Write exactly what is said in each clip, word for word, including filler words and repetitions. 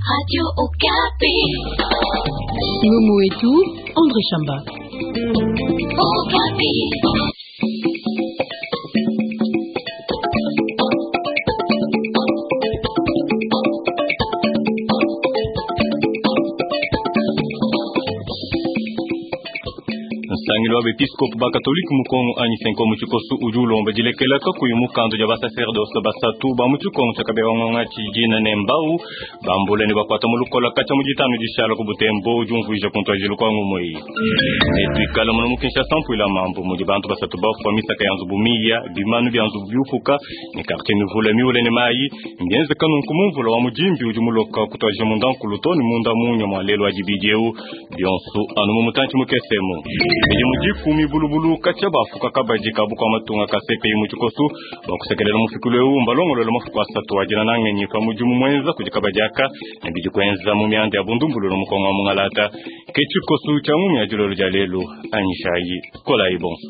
Radio Okapi. Ngomo wetu André Chamba. Okapi. Nsangilu wa bepiskopu bakatolika mu Kongo anyi CENCO mu tshikosu udi ulomba dilekela kakuyi mukanda dia basacerdoce basatu ba mu tshikongo tshia Kabewang'onga tshidina ne mbau bambule ne bakwata mu lukola katshia mu ditanu dishala ku Butembo udi umvuija ku ntuadijilu kua ngumu eyi. Netuikale muno mu Kinshasa mpuila mambu mudi bantu basatu bafua misaka ya nzubu miya bimanu bia nzubu biupuka ne quartier mivule miule ne mayi mbienzeka nunku mu mvula wa mudimbi udi muloka kutuadija munda nkulu to ne munda munya mua lelu wa dibidi eu bionso anu mu mutantshi mukesemu. Midimu dikumi bulubulu katshia bafuka kabadi kabu kwa matunga ka C P I mu tshikosu bakusekelela mufikulu eu mbalongolola mafuku asatu adina na ngenyi pa mudimu mwenza kudi kabadi aka ne bidi kuenza mu mianda ya bundumbululu mu Kongo wa mungalata ke tshikosu tshia ngumi ya dilolo dia lelu anyishayi kolayi bonso.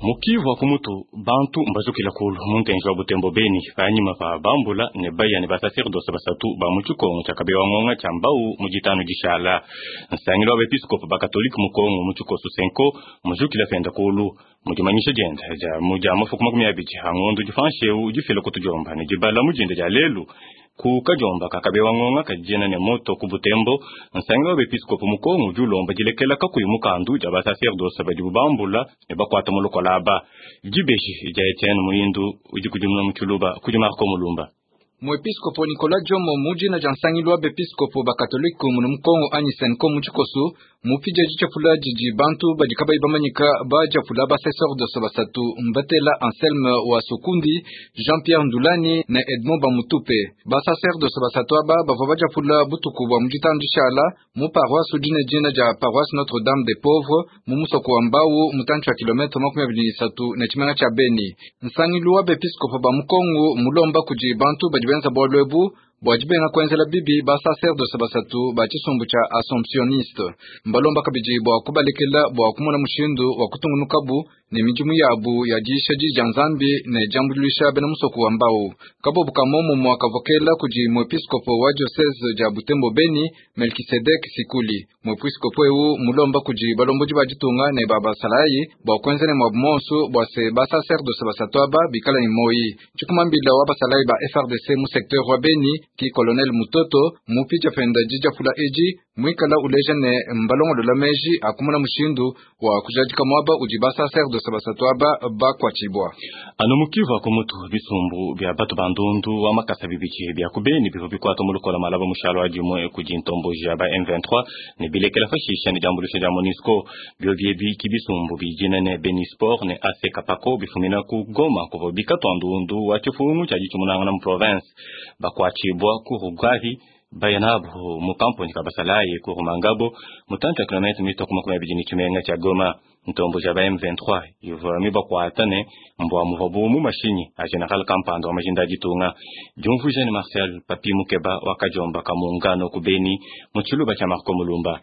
Mukivu wa kumutu bantu mbazukila kulu muntenji wa Butembo Beni panyima pa bambula ne baya ne basacerdoce basatu ba mu tshikongo tshia Kabewang'onga tshia mbau mu ditanu dishala. Nsangilu wa bepiskopu ba katolika mu Kongo mu tshikosu CENCO muzukila penda kulu mudimanyisha dienda dia mu dia mafuku makumi abidi a ngondo difanshe eu difila kutudiomba ne dibala mu dinda dia lelu ku kadiomba ka Kabewang'onga kadijena ne moto ku Butembo. Nsangilu wa bepiskopu mu Kongo udi ulomba dilekela kakuyi mukandu dia basacerdoce badi bambula ne bakwata mu lukola aba. Dibeji dia Etienne Muindu udi kudimuna mu Tshiluba kudi Marco Mulumba. Muepiskopo Nicolas Djomo mujina dia nsangilu wa bepiskopo ba katolika muno mu Kongo anyi CENCO mu tshikosu mupidja ditshapula didi bantu badi kabayi bamanyika ba diapula ba sacerdoce basatu Mbatela Anselme wa Sokundi, Jean-Pierre Ndulani ne Edmond Bamutupe. Ba sacerdoce basatu aba bavua badiapula butuku bua mu ditanu dishala mu paroisse udi ne dina dia paroisse Notre-Dame des Pauvres mu musoko wa Mbau mutantshi wa kilometre makumi abidi ne isatu ne tshimenga tshia Beni. Nsangilu wa bepiskopo ba mu Kongo mulomba kudi bantu badi benza bualu ebu bua dibenga kuenzela bibi ba sacerdoce basatu ba tshisumbu tshia Assomptionniste. Mbalomba kabidi bua kubalekela bua kumona mushindu wa kutungunukabu ne midimu yabu ya diisha di dia Nzambi ne diambuluisha bena musoko wa Mbau. Kabobu ka momumue kavokela kudi muepiskopo wa diocese dia Butembo Beni Melkisedek Sikuli. Muepiskopo eu mulomba kudi balombodi ba ditunga ne ba basalayi bua kuenza ne muabu monso bua se ba sacerdoce basatu aba bikala ne moyi. Tshikumambila wa basalayi ba F R D C mu secteur wa Beni ki colonel Mutoto mupija penda dijapula eji mwikala uleja ne mbalongolola meji akumona mushindu wa kujadika mwaba udi ba sacerdoce basatu aba bakwatshibua. Anu mukivu akumutu bisumbu bia batu bandundu wa makasa bibiki bia kubeni bivua bikwata mu lukola malaba mushalo wa dimue kudi ntomboji ya ba M vingt-trois ne bilekela fashisha ne diambuluisha dia MONUSCO. Bio biebi ki bisumbu bijina ne Beni Sport ne A C Kapako bifumina ku Goma kuvua bikatwa ndundu wa tshifungu tshia ditshimunangana mu province. Bakwatshibua ku Rugari bayanabu mu kampuni kabasalaye ku Rumangabo mutantshi wa kilometre mito ku makumi abidi ne tshimenga tshia Goma. Ntombo ja ba M vingt-trois ivua mibakwata ne mbua muvua bu mu mashinyi a General Kampanda wa majinda ditunga. Diumvuija ne Marcel Papi Mukeba wa kadiomba ka muungano ku Beni mu tshiluba tshia Marco Mulumba.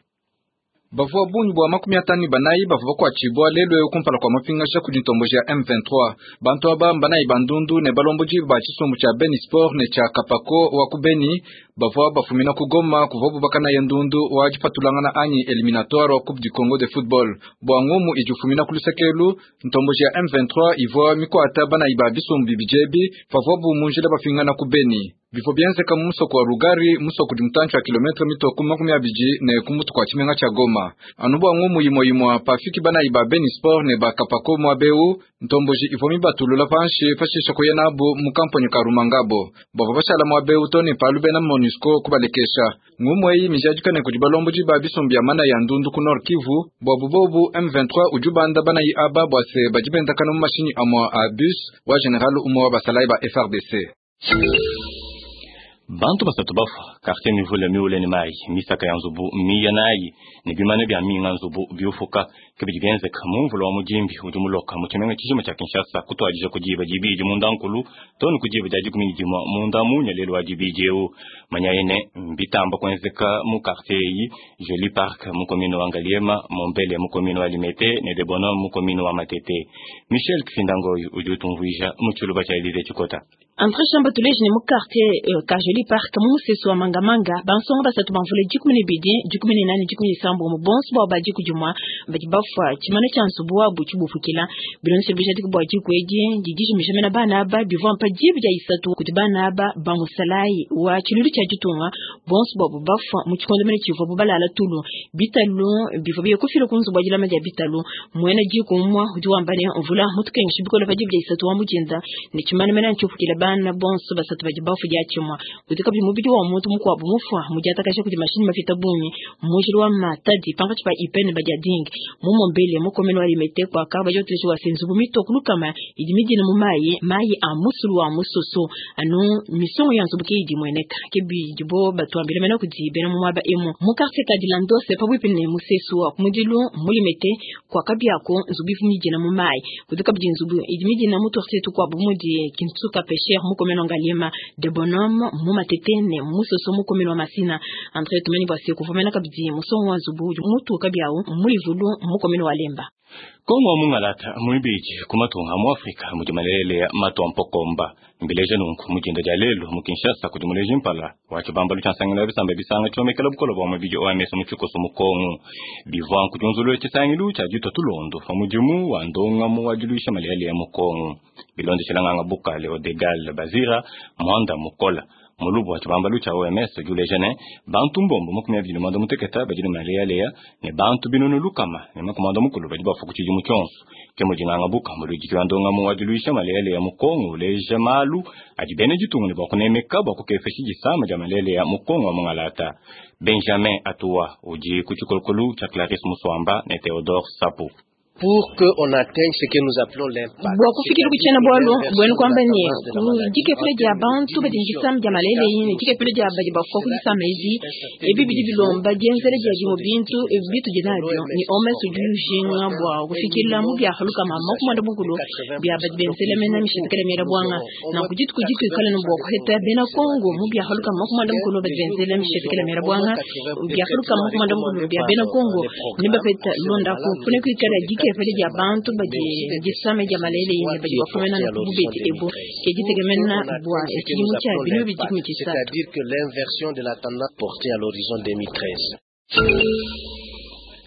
Bavua bungi bua makumi atanu ne banayi bavua bakuatshibua lelu eu kumpala kua mapingaja kudi ntomboji ya M vingt-trois. Bantu aba mbanayi ba ndundu ne balombodi ba tshisumbu tshia Beni Sport ne tshia Kapako wa ku Beni bavua bafumina ku Goma kuvua bubakana ya ndundu wa dipatulangana anyi eliminatoire wa Coupe du Congo de football. Bua ngumu idi ufumina ku lusekelu, ntomboji ya M vingt-trois ivua mikuata banayi ba bisumbu bibidi pavua bu mu njila bafingana ku Beni. Bifo bienzeka mu musoko wa Rugari, musoko udi mutantshi wa kilometre mito ku makumi abidi ne ku mutu kua tshimenga tshia Goma. Anu bua ngumu imue imue pafiki banayi ba Beni Sport ne ba Kapako muabeu, ntomboji ivua mibatulula panshi pashisha kuya nabu mu kampani ka Rumangabo. Bavua bashala muabeu to ne palu bena MONUSCO kubalekesha. Ngumu eyi mijadika ne kudi balombodi ba bisumbu bia mana ya ndundu ku Nord Kivu, bua bubobu M vingt-trois udi ubanda banayi aba bua se badi bendakana mu mashinyi amua a bus wa general umue wa basalayi ba F R D C. Bantu basatu bafua quartier mivule miule ne mayi misaka ya nzubu miya nayi ne bimane bia minga nzubu biufuka kibidi bienzeka mu mvula wa mudimbi udi muloka mu tshimenga tshijima tshia Kinshasa kutuadija ku diba dibidi munda nkulu to ne ku diba dia dikumi ne dimue munda munya lelu wa dibidi eu. Manyayi ne mbitamba kuenzeka mu quartier eyi Joli Park mu commune wa Ngaliema, Mombele mu commune wa Limete ne Debono mu commune wa Matete. Michel Kifindangoyi udi utumvuija mu tshiluba tshia Elise Tshikota. Andre Shamba tuleji ne mu quartier uh, Kajoli Park mu musesu wa Mangamanga bansonga basatu bamvule dikumi ne bidi dikumi ne nane dikumi ne sambo mu bonso bwa badi kudimwa badi bafwa tshimana tshia nzubu wabu tshibufukila bilonse bijadiki bwa diku edi didi mena bana aba bivua mpa dibi dia isatu kuti bana aba bamusalayi wa tshiluilu tshia ditunga bonso bwabu bafwa mu tshikondo mene tshivua bubalala tulu bitalu bivua biye kufila ku nzubu wa dilama dia bitalu mwena diku umwa udi wamba ne mvula mutukengesha bikola pa dibi dia isatu wa mujinda ne tshimana mena ntshufukila bana bonso basatu badi bafu dia tshimwa kuti kabidi mubidi wa muntu mukuabu mufwa mudiatakasha kudi mashini mafita bungi mujili wa matadi pankatshi pa ipene badia dingi mumombele mukomeno wa limete kwa kaba jotuleshi wa senzubu mitoku lukama idi midina mu mayi mayi a musulu wa musoso anu misongo ya nzubu ke idi mweneka ke bidibo batuambile mena kudi bena mu mwaba emu mu quartier Kadilandose pabuipi ne musesu wa kumudilu mulimete kwa kabiako nzubu ifu midina mu mayi kuti kabidi nzubu idi midina mu quartier tukwabu mudi kintsuka pesher mukomeno ngalima de bonhomme mu matete ne musoso mukomeno wa masina entre tumeni bwase kuvumena kabidi musongo wa nzubu mutu kabiao mulivulu mukomeno wa lemba. Kongo mungalata muibiji kumatunga mu Afrika mudi malele mato mpokomba mbileje nunku mujinda dia lelo mu Kinshasa kudi muleji mpala wa chibambalu cha nsangilo bisamba bisanga chomekela bukolo bwa mubiji O M S mu chikoso mu Kongo bivwa kutunzulu chisangilu cha jito tulondo fa mujimu wa ndonga mu wajiluisha malele ya mu Kongo bilonde chilanganga bukale Odegal Bazira Mwanda Mukola mulubu wa chibambalu cha O M S julejene bantu mbombo makumi abiri mwanda muteketa bajini malea lea ne bantu binunu lukama ne makumanda mukulu badi bafu kuchiji muchonso ke mujinganga buka mulujiki wa ndonga mu wajiluisha malea lea mu Kongo leja malu ajibene jitungu ne bakunemeka bakukefeshi jisama ja malea lea mu Kongo wa mungalata. Benjamin Atua uji kuchikolokolu cha Clarisse Muswamba ne Theodore Sapu. Pour que on atteigne ce que nous appelons l'impact. Bwa kufikiri kuchena bwalo bwenu kwamba ni dikepele dia bantu badi ngisam dia malele yini dikepele dia badi bafwa kudisama ezi ebi bidi bilomba dienzele dia jimo bintu bitu dinabyo ni omes ujinga bwa kufikira mu bya haluka mama kumanda bukulu bya badi benzele mena mishitikele mera bwanga na kujitu kujitu ikale no bwa kuheta bena Kongo mu bya haluka mama kumanda bukulu badi benzele mishitikele mera bwanga bya haluka mama kumanda bukulu bya bena Kongo ni bapeta londa ku kune kuikala dike pele dia bantu badi disame dia malele yini badi bafumena na kububeti ebo ke ditegemena bwa ekimu cha binu bidi C'est-à-dire que l'inversion de la tendance portée à l'horizon deux mille treize.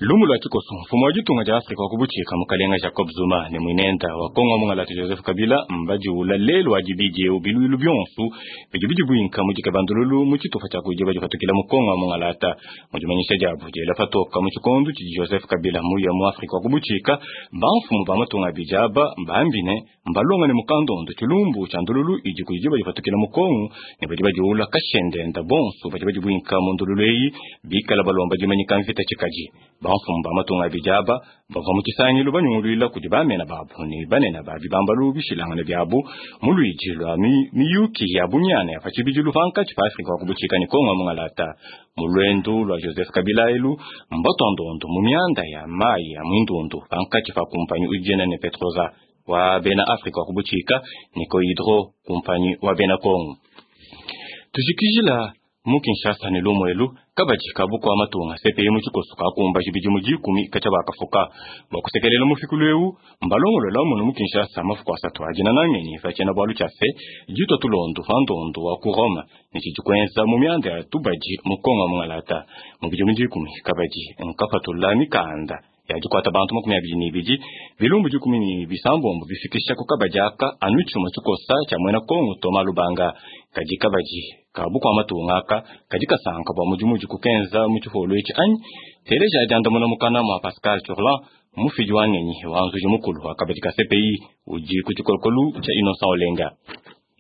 Lumu lwa chikoso mfumo wa jitunga ja Afrika wakubuchika mukalenga Jacob Zuma ne mwinenda wa Kongo mungalati Joseph Kabila mbaji ula lelo ajibije ubiluilu byonsu bijibiji bwinka mujika bandululu mu chitufa cha kujiba jifatukila mu Kongo mungalata mujimanyisha jabu jela patoka mu chikondu chi Joseph Kabila muya mu Afrika wakubuchika bamfumu ba matunga bijaba mbambine mbalonga ne mukandondo chilumbu cha ndululu iji kujiba jifatukila mu Kongo ne bajiba jiula kashendenda bonsu bajiba jibwinka mu ndululu eyi bikala balomba jimanyika mvita chikaji bamfumu ba matunga bijaba bava mu kisangilu banyungulwila kudi bamena babu ne banena ba bibambalu bishilangana byabu mu lwiji lwa miyuki ya bunyana ya pachibijilu pankatshi pa Afrika wakubuchika ni Kongo mungalata mu lwendu lwa Joseph Kabila elu mbatondondo mu myanda ya mayi ya mwindundu pankatshi pa kumpanyi ujena ne Petroza wa bena Afrika wakubuchika ni Cohydro kumpanyi wa bena Kongo tujikijila mu Kinshasa ne lumu elu kabaji kabuko amatunga C P I mu chikoso kakumba chibiji mu jikumi kacha bakafuka bakusekelela mufikulu eu mbalongolola muno mu Kinshasa mafuko asatu ajina nangenyi fachena bwalu chase jito tulondo fandondo wa ku Roma ni chijikwenza mu myanda ya tubaji mu Kongo mungalata mu biji mu jikumi kabaji nkapatula mikanda yajikwata bantu makumi abiri n'ibiri bilumbu jikumi ni bisambombo bifikisha ku kabajaka anu chuma chikosa cha mwena Kongo Toma Lubanga kaji kabaji kabuko amatunga aka kaji kasanka bwa mujimuji kukenza mu chiholo ichi anyi teleja ajanda muna mukana mwa Pascal Chorlan mufiji wa ngenyi wa nzuji mukulu wa kabaji ka C P I uji ku chikolokolu cha Innocent Olenga.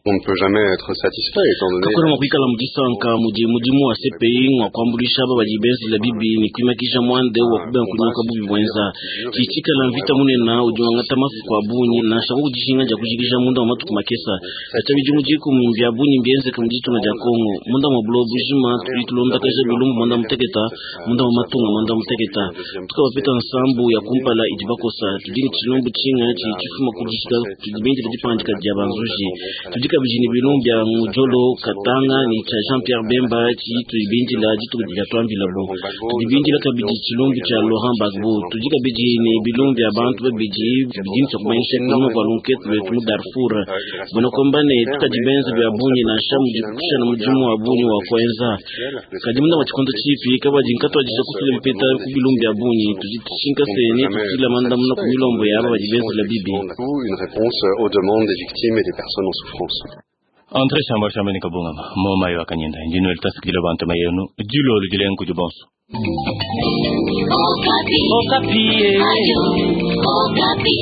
On ne peut jamais être satisfait étant donné kakona mwakuikala mudisanka mudi mudimu wa C P I mwakuambulisha aba badi benzela bibi ni kuimakisha mwande wa kubenga kunyoka bubi bwenza chichikala mvita munena udi wangata mafuku abunyi na shangu kudishinga ja kujikisha munda wa matuku makesa acha midimu jikumi mvya bunyi mbienzeka muditunga ja Kongo munda mwa bulo bujima tudi tulondakaja bilumbu mwanda muteketa munda mwa matunga mwanda muteketa tukabapeta nsambu ya kumpala idi bakosa tudi ni tshilumbu tshinga tshi tshifuma kudishika tudi bendela dipandika dia banzuji tudi Tudi kabidi ne bilumbu bia Ngudjolo Katanga ne tshia Jean Pierre Bemba tshitudi bindila dituku dia tuambilabo. Tudi bindila kabidi tshilumbu tshia Laurent Gbagbo. Tudi kabidi ne bilumbu bia bantu babidi bidi ne tshia kumanyisha kunyima kua lunkete luetu mu Darfur. Buena kuamba ne tukadi benze bia bungi nansha mudi kushala mudimu wa bungi wa kuenza. Kadi munda wa tshikondo tshipi kabadi nkatuadija kufila bipeta ku bilumbu bia bungi. Tudi tshinka se ne tufila mandamuna ku milombo ya aba badi benzela bibi. Une réponse aux demandes des victimes et des personnes en souffrance. André Shamba Shamba ni kabungama moma yo akanyenda ndino litasikila bantu mayenu jilolo jilengu jibonso. Okapi. Okapi. Ayo, Okapi.